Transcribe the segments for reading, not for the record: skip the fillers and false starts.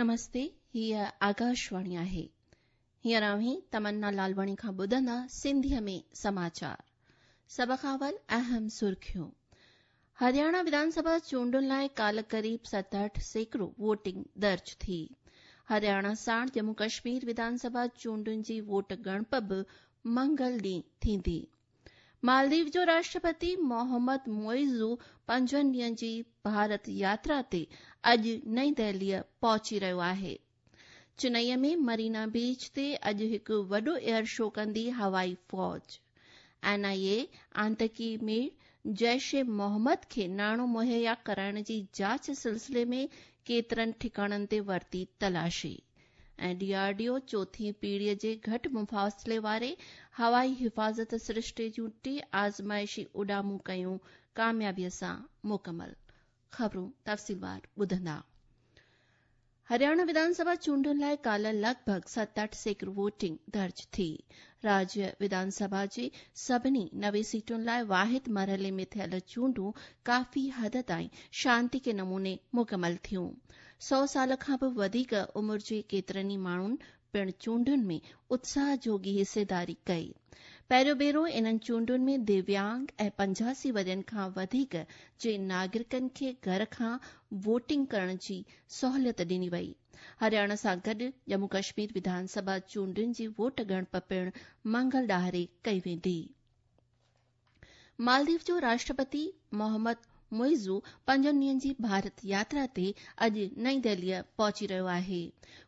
نمستي، هيء آڪاشواڻي آهي. هينئر اوهين تمنا لالواڻي کان ٻڌندا سنڌيء ۾ سماچار. سڀ کان اول اهم سرخيون. هرياڻا وڌان سڀا چونڊن لاء ڪالهه قريب 67% ووٽنگ درج ٿي. هرياڻا ساڻ ڄمون ڪشمير وڌان سڀا چونڊن جي ووٽ ڳڻپ به منگل ڏينهن ٿيندي. مالديپ جو راشٽرپتي محمد معيزو پنجن ڏينهن جي ڀارت ياترا تي اڄ نئين دهليء پهچي رهيو آهي. چنئي ۾ مرينا بيچ تي اڄ هڪ وڏو ايئر شو ڪندي هوائي فوج. اين آء اي آتنڪي ميڙ جيش محمد کي ناڻو مهيا ڪرائڻ جي جاچ سلسلي ۾ ڪيترن ٺڪاڻن تي ورتي تلاشي. ۽ ڊي آر ڊي او چوٿين پيڙهيء جي گهٽ مفاصلي واري هوائي حفاظت سرشتي جون ٽي آزمائشي اڏامون ڪيون ڪاميابيء سان مڪمل. خبرون تفصيلوار ٻڌندا. هرياڻا وڌان سڀا چونڊن لاء ڪالهه لڳ ڀڳ 67% ووٽنگ درج ٿي. راجيه وڌان سڀا جي سڀني 90 سيٽن لاء واحد مرحلي ۾ ٿيل چونڊون ڪافي حد تائين شانتيڪي نموني مڪمل ٿيون. 100 سال کان به وڌيڪ عمر جي ڪيترن ئي ماڻهن پڻ چونڊن ۾ اتساهه جوڳي حصيداري ڪئي. پهريون ڀيرو انهن چونڊن ۾ دويانگ ۽ 85 ورهين کان وڌيڪ جي ناگرڪن کي گهر کان ووٽنگ ڪرڻ جي سهولت ڏني وئي. هرياڻا سان گڏ ڄمون ڪشمير وڌان سڀا چونڊن جي ووٽ ڳڻپ پڻ منگل ڏهاڙي ڪئي ويندي. مالديپ جو راشٽرپتي محمد معيزو پنجن ڏينهن جي ڀارت ياترا تي اڄ نئين دهليء پهچي رهيو آهي.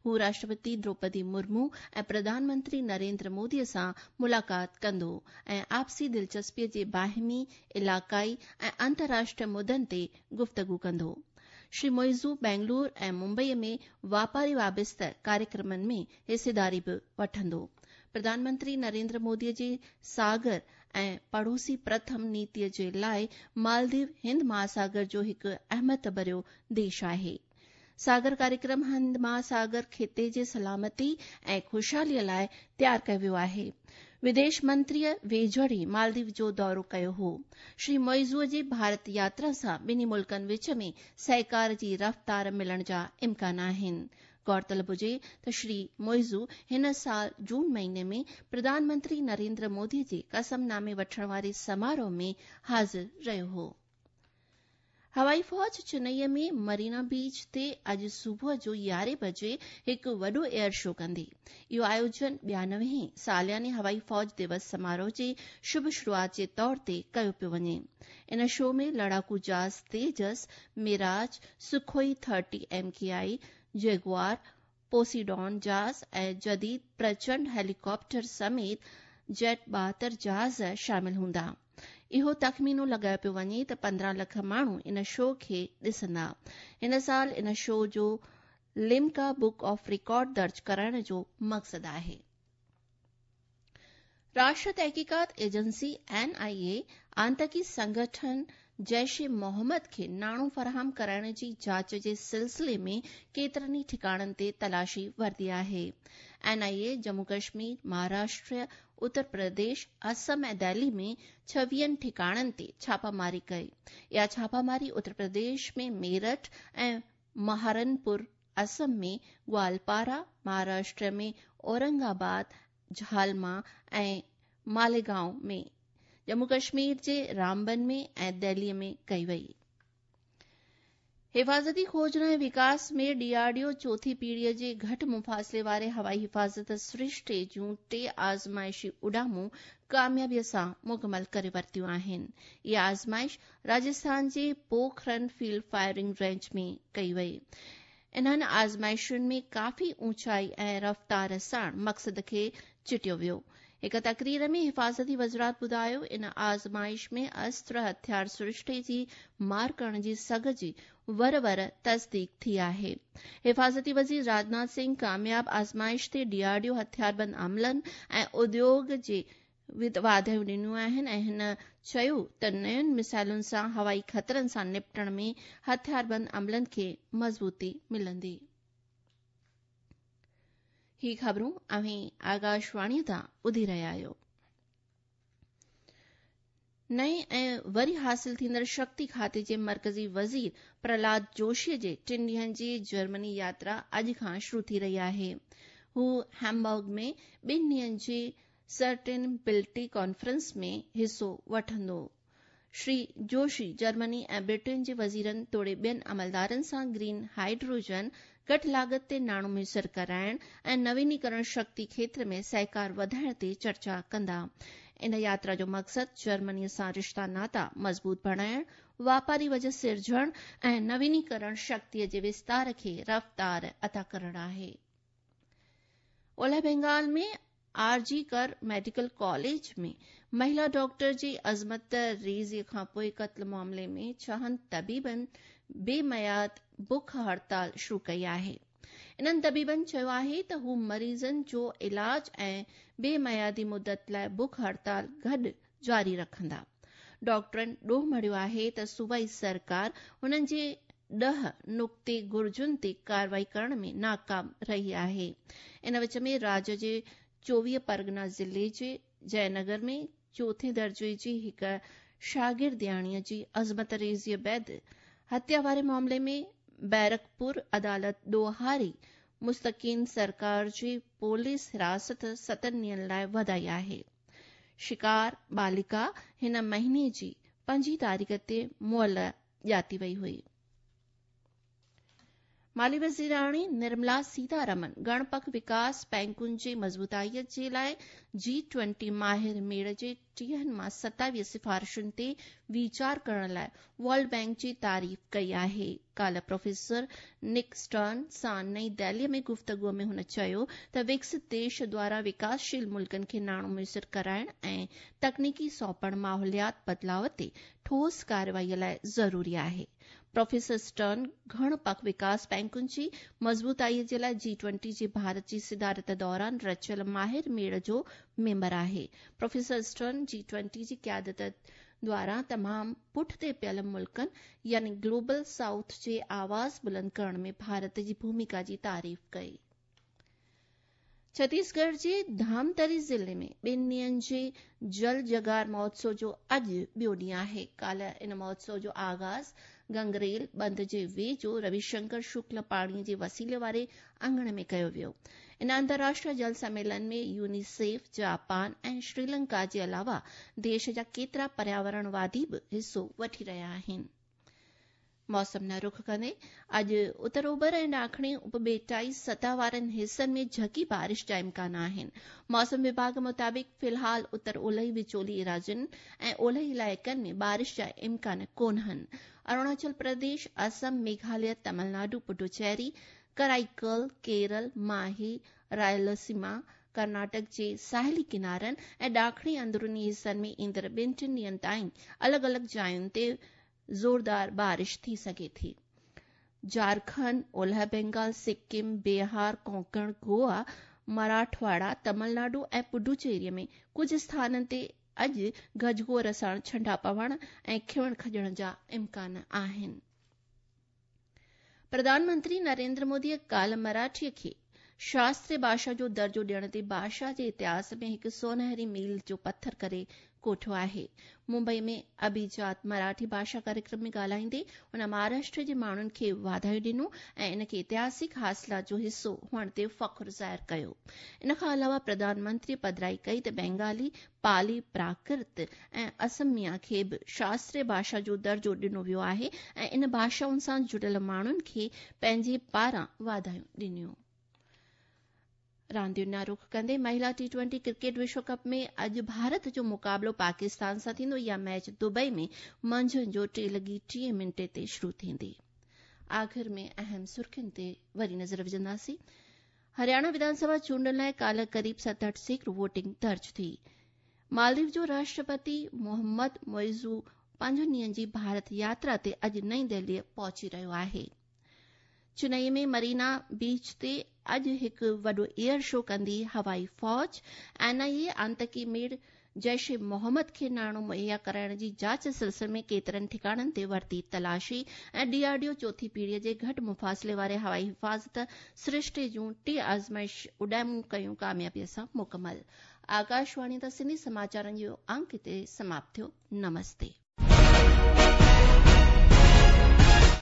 هو راشٽرپتي دروپدي مرمو ۽ پرڌان منتري نريندر مودي سان ملاقات ڪندو ۽ آپسي دلچسپيء جي باهمي، علائقائي ۽ انترراشٽريه مدن تي گفتگو ڪندو. شري معيزو بينگلور ۽ ممبئي ۾ واپاري وابسته ڪاريڪرمن ۾ حصيداري به وٺندو. پرڌان منتري نريندر مودي جي ساگر ۽ پڙوسي پرٿم نيتيء جي لاء مالديو هند مهاساگر جو هڪ اهميت ڀريو ديش آهي. ساگر ڪاريڪرم هند مهاساگر خطي جي سلامتي ۽ خوشحاليء لاء تيار ڪيو ويو آهي. وديش منتريء ويجهڙ ئي مالديو جو دورو ڪيو هو. شري معيزوء جي ڀارت ياترا سان ٻنهي ملڪن وچ ۾ سهڪار جي رفتار ملڻ جا امڪان آهن. غور طلب هجي ته شري معيزو هن سال جون مهيني ۾ پرڌان منتري نريندر مودي جي قسم نامي وٺڻ واري سماروهه ۾ حاضر رهيو هو. هوائي فوج چنئي ۾ مرينا بيچ تي اڄ صبح جو 11 بجي هڪ وڏو ايئر شو ڪندي. اهو آيوجن 92 هين سالياني هوائي فوج دوس سماروهه جي شڀ شروعات جي طور تي ڪيو پيو وڃي. ان شو ۾ لڙاڪو جهاز Tejas, Mirage, Sukhoi 30 M K I, Jaguar, Poseidon جهاز ۽ جديد پرچنڊ هيليڪاپٽر سميت جيٽ 72 جهاز شامل هوندا. اهو تخمينو لڳايو پيو وڃي ته 15 لک ماڻهو ان شو کي ڏسندا. هن سال ان شو جو لمڪا بڪ آف رڪارڊ درج ڪرائڻ جو مقصد آهي. راشٽر تحقيقات ايجنسي، اين آء اي، آتنڪي سنگٺن جيش محمد کي ناڻو فراهم ڪرائڻ جي جاچ جي سلسلي ۾ ڪيترن ئي ٺڪاڻن تي تلاشي ورتي آهي. اين آء اي ڄمون ڪشمير، مهاراشٽر، اتر پرديش، اسم ۽ دهلي ۾ ڇويهن ٺڪاڻن تي ڇاپاماري ڪئي. اها ڇاپاماري اتر پرديش ۾ ميرٺ ۽ مهارنپور، اسم ۾ گوالپارا، مهاراشٽر ۾ اورنگ آباد، جهالما ۽ ماليگائون ۾، ڄمون ڪشمير جي رامبن ۾ ۽ دهلي ۾ ڪئي وئي. حفاظتي کوجنا ۽ وڪاس ۾ ڊي آر ڊي او چوٿين پيڙهيء جي گهٽ مفاصلي واري هوائي حفاظت سرشتي جون ٽي آزمائشي اڏامون ڪاميابيء سان مڪمل ڪري ورتيون آهن. اها آزمائش راجسٿان جي پوکرن فيلڊ فائرنگ رينج ۾ ڪئي وئي. انهن آزمائشن ۾ ڪافي اوچائي ۽ رفتار ساڻ مقصد کي چٽيو ويو. هڪ تقرير ۾ حفاظتي وزارت ٻڌايو ان آزمائش ۾ استر هٿيار سرشتي جي مار ڪرڻ جي سگهه جي ور ور تصديق ٿي آهي. حفاظتي وزير راجناٿ سنگهه ڪامياب آزمائش تي ڊي آر ڊي او هٿياربند عملن ۽ اديوگ جي واڌايون ڏنيون آهن ۽ هن چيو ته نين ميسائلن سان هوائي خطرن سان نپٽڻ ۾ هٿياربند عملن کي مضبوطي ملندي. هي خبرون اوهين آڪاشواڻي تان ٻڌي رهيا آهيو. نئين ۽ وري حاصل ٿيندڙ شڪتي کاتي جي مرڪزي وزير پرهلاد جوشي جي ٽن ڏينهن جي جرمني ياترا اڄ کان شروع ٿي رهي آهي. هو هيمبرگ ۾ ٻن ڏينهن جي سسٽينبلٽي ڪانفرنس ۾ حصو وٺندو. شري جوشي جرمني ۽ برٽين جي وزيرن توڙي ٻين عملدارن سان گرين هائيڊروجن، گهٽ لاڳت تي ناڻو ميسر ڪرائڻ ۽ نوينيڪرڻ شڪتي کيتر ۾ سهڪار وڌائڻ تي چرچا ڪندا. ان ياترا جو مقصد جرمني سان رشتا ناتا مضبوط بڻائڻ، واپاري وجهه سرجڻ ۽ نوينيڪرڻ شڪتي جي وستار کي رفتار عطا ڪرڻ آهي. اولهه بينگال ۾ آر جي ڪر ميڊيڪل ڪاليج ۾ مهلا ڊاڪٽر جي عصمت ريزي کانپوء قتل معاملي ۾ ڇهن طبيبن بي ميعاد بک هڙتال شروع ڪئي آهي. انهن طبيبن چيو آهي ته هو مريضن جو علاج ۽ بي ميعادي مدت لاء بک هڙتال گڏ جاري رکندا. ڊاڪٽرن ڏوهه مڙهيو آهي ته صوبائي سرڪار هنن جي 10 نقطي گهرجن تي ڪارروائي ڪرڻ ۾ ناڪام رهي آهي. ان وچ ۾ راڄ جي 24 پرڳنا ضلعي جي جئه نگر ۾ چوٿين درجي جي هڪ شاگردياڻيء جي عصمت ريزيء بعد هتيا واري معاملي ۾ بيرڪپور عدالت ڏوهاري مستقين سرڪار جي پوليس حراست ستن ڏينهن لاء وڌائي آهي. شڪار بالڪا هن مهيني جي پنجين تاريخ تي مئل ڄاتي وئي هئي. مالي وزيراڻي نرملا سيتارمن گڻپک وڪاس بئنڪن جي مضبوطائي جي لاء جي ٽوئنٽي ماهر ميڙ جي ٽيهن مان 27 سفارشن تي ويچار ڪرڻ لاء ورلڊ بئنڪ جي تعريف ڪئي آهي. ڪالهه پروفيسر نڪ اسٽرن سان نئين دهلي ۾ گفتگو ۾ هن چيو ته وڪست ديش دواران وڪاسشيل ملڪن کي ناڻو ميسر ڪرائڻ ۽ تڪنيڪي سونپڻ ماحوليات بدلاء تي ٺوس ڪارروائي لاء ضروري آهي. پروفيسر اسٽرن گهڻ پک وڪاس بئنڪن جي مضبوطائي جي لاء جي ٽوئنٽي جي ڀارت جي صدارت دوران رچيل ماهر ميڙ جو ميمبر آهي. پروفيسر اسٽرن جي ٽوئنٽي جي قيادت دواران تمام پٺتي پيل ملڪن يعني گلوبل سائوٿ جي آواز بلند ڪرڻ ۾ ڀارت جي ڀوميڪا جي تعريف ڪئي. ڇتيسڳڙهه جي ڌامتري ضلعي ۾ ٻن ڏينهن جي جل جگار مهوتسو جو اڄ ٻيو ڏينهن آهي. ڪالهه ان مهوتسو جو آغاز گنگريل بند جي ويجهو روي شنڪر شڪل پاڻي جي وسيلي واري اڱڻ ۾ ڪيو ويو. ان انترراشٽريه جل سميلن ۾ يونيسيف، جاپان ۽ شريلنڪا جي علاوه ديش جا ڪيترا پرياورڻ وادي به حصو وٺي رهيا آهن. موسم نه رخ ڪندي اڄ اتر اوڀر ۽ ڏاکڻي اپٻيٽائي سطح وارن حصن ۾ جهڪي بارش جا امڪان آهن. موسم وڀاڳ مطابق في الحال اتر اولهي وچولي ايراضين ۽ اولهي علائقن ۾ بارش جا امڪان ڪونهن. اروناچل پرديش، اسم، ميگهاليه، تمل ناڊو، پڊوچيري، ڪرائيڪل، ڪيرل، ماهي، رائلسيما، ڪرناٽڪ جي ساحلي ڪنارن ۽ ڏاکڻي اندروني حصن ۾ ايندڙ ٻن ٽن ڏينهن تائين الڳ الڳ جاين تي زوردار بارش ٿي سگهي ٿي. جهارکنڊ، اولهه بينگال، سڪم، بيهار، ڪونڪڻ، گوا، مراٺواڙا، تمل ناڊو ۽ پڊوچيري ۾ ڪجهه اسٿانن تي اڄ گجگوڙ سان ڇنڊا پوڻ ۽ کنوڻ کڄڻ جا امڪان آهن. پرڌان منتري نريندر مودي ڪالهه مراٺي کي شاستري ڀاشا جو درجو ڏيڻ تي ڀاشا جي اتهاس ۾ هڪ سونهري ميل جو پٿر ڪري ڪوٺيو آهي. ممبئي ۾ اڀيجات مراٺي ڀاشا ڪاريڪرم ۾ ڳالهائيندي هن مهاراشٽر جي ماڻهن کي واڌايون ڏنو ۽ ان کي اتهاسڪ حاصلات جو حصو هئڻ تي فخر ظاهر ڪيو. ان کان علاوه پرڌان منتري پڌرائي ڪئي ته بينگالي، پالي، پراڪرت ۽ اسميا کي به شاستري ڀاشا جو درجو ڏنو ويو آهي ۽ ان ڀاشائن سان جڙيل ماڻهن کي پنهنجي پاران واڌايون ڏنيون. راندين ڏانهن رخ ڪندي مهلا ٽي ٽوئنٽي ڪرڪيٽ وشو ڪپ ۾ اڄ ڀارت جو مقابلو پاڪستان سان ٿيندو. اها ميچ دبئي ۾ منجهند جو 3:30 تي شروع ٿيندي. آخر ۾ اهم سرخين تي وري نظر وجهنداسين. هرياڻا وڌان سڀا چونڊن لاء ڪالهه قريب 67% ووٽنگ درج ٿي. مالديپ جو راشٽرپتي محمد معيزو پنجن ڏينهن جي ڀارت ياترا تي اڄ نئين دهلي پهچي رهيو آهي. چنئي ۾ مرينا بيچ تي اڄ هڪ وڏو ايئر شو ڪندي هوائي فوج. اين آء اي آتنڪي ميڙ جيش محمد کي ناڻو مهيا ڪرائڻ جي جاچ سلسلي ۾ ڪيترن ٺڪاڻن تي ورتي تلاشي ۽ ڊي آر ڊي او چوٿين پيڙهي جي گهٽ مفاصلي واري هوائي حفاظت سرشتي جون ٽي آزمائش اڏامون ڪيون ڪاميابي سان مڪمل. آڪاشواڻي تان سنڌي سماچارن جو انڪ هتي سماپت ٿيو. نمستي.